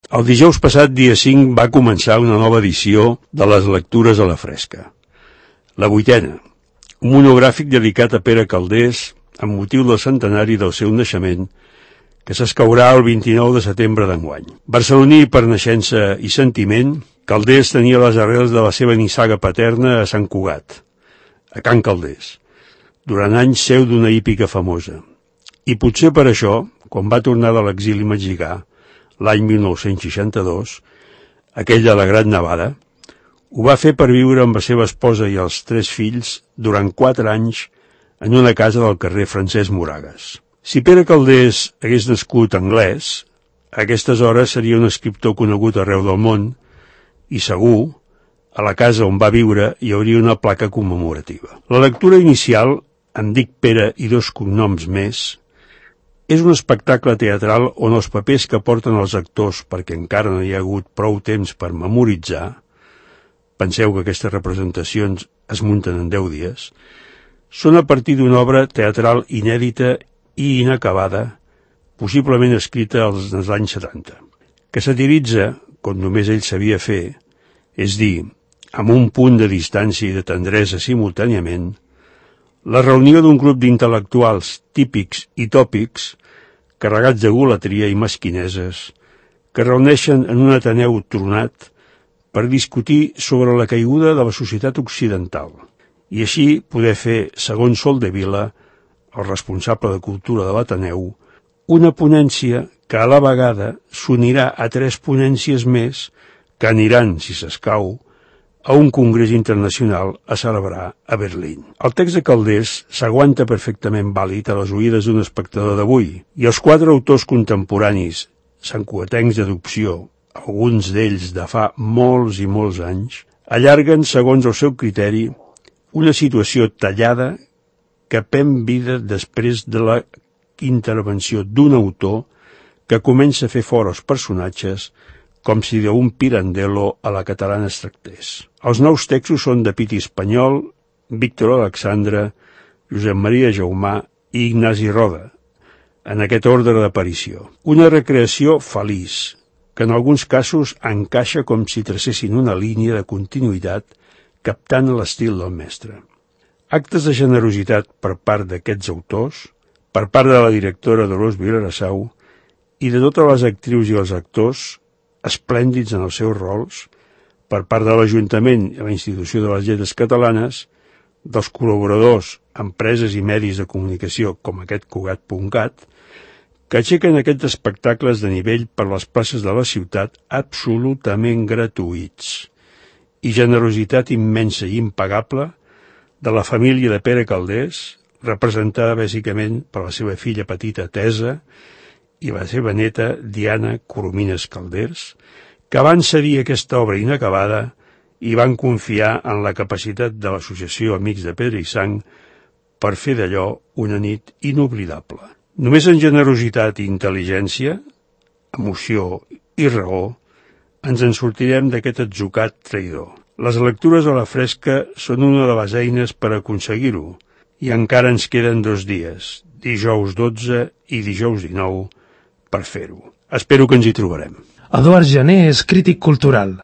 El dijous passat, dia 5, va començar una nova edició de les lectures a la fresca. La 8ª, un monogràfic dedicat a Pere Calders amb motiu del centenari del seu naixement, que s'escaurà el 29 de setembre d'enguany. Barceloní per naixença i sentiment, Calders tenia les arrels de la seva nissaga paterna a Sant Cugat, a Can Calders, durant anys seu d'una hípica famosa. I potser per això, quan va tornar de l'exili mexicà, l'any 1962, aquell de la Gran Nevada, ho va fer per viure amb la seva esposa i els 3 fills durant 4 anys en una casa del carrer Francesc Moragas. Si Pere Calders hagués nascut anglès, a aquestes hores seria un escriptor conegut arreu del món i segur, a la casa on va viure hi hauria una placa commemorativa. La lectura inicial, Em dic Pere i 2 cognoms més, és un espectacle teatral on els papers que porten els actors, perquè encara no hi ha hagut prou temps per memoritzar, penseu que aquestes representacions es munten en 10 dies, són a partir d'una obra teatral inèdita i inacabada, possiblement escrita als anys 70, que satiritza, com només ell sabia fer, és dir, amb un punt de distància i de tendresa simultàniament, la reunió d'un grup d'intel·lectuals típics i tòpics, carregats de golatria i mesquineses, que reuneixen en un ateneu tronat per discutir sobre la caiguda de la societat occidental, i així poder fer, segons Soldevila, el responsable de cultura de l'Ateneu, una ponència que a la vegada s'unirà a 3 ponències més que aniran, si s'escau, a un congrés internacional a celebrar a Berlín. El text de Calders s'aguanta perfectament vàlid a les oïdes d'un espectador d'avui, i els 4 autors contemporanis, santcugatencs d'adopció, alguns d'ells de fa molts i molts anys, allarguen, segons el seu criteri, una situació tallada que pren vida després de la intervenció d'un autor que comença a fer fora els personatges com si d'un pirandello a la catalana es tractés. Els nous textos són de Piti Espanyol, Víctor Alexandre, Josep Maria Jaumà i Ignasi Roda, en aquest ordre d'aparició. Una recreació feliç, que en alguns casos encaixa com si tracessin una línia de continuïtat captant l'estil del mestre. Actes de generositat per part d'aquests autors, per part de la directora Dolors Vilarasau i de totes les actrius i els actors, esplèndids en els seus rols, per part de l'Ajuntament i la Institució de les Lletres Catalanes, dels col·laboradors, empreses i medis de comunicació com aquest Cugat.cat, que aixequen aquests espectacles de nivell per les places de la ciutat absolutament gratuïts, i generositat immensa i impagable de la família de Pere Calders, representada bàsicament per la seva filla petita Teresa i la seva neta Diana Coromines Calders, que van cedir aquesta obra inacabada i van confiar en la capacitat de l'Associació Amics de Pedra i Sang per fer d'allò una nit inoblidable. Només en generositat i intel·ligència, emoció i raó, ens en sortirem d'aquest atzucat traïdor. Les lectures a la fresca són una de les eines per aconseguir-ho, i encara ens queden 2 dies, dijous 12 i dijous 19, per fer-ho. Espero que ens hi trobarem. Eduard Jané és crític cultural.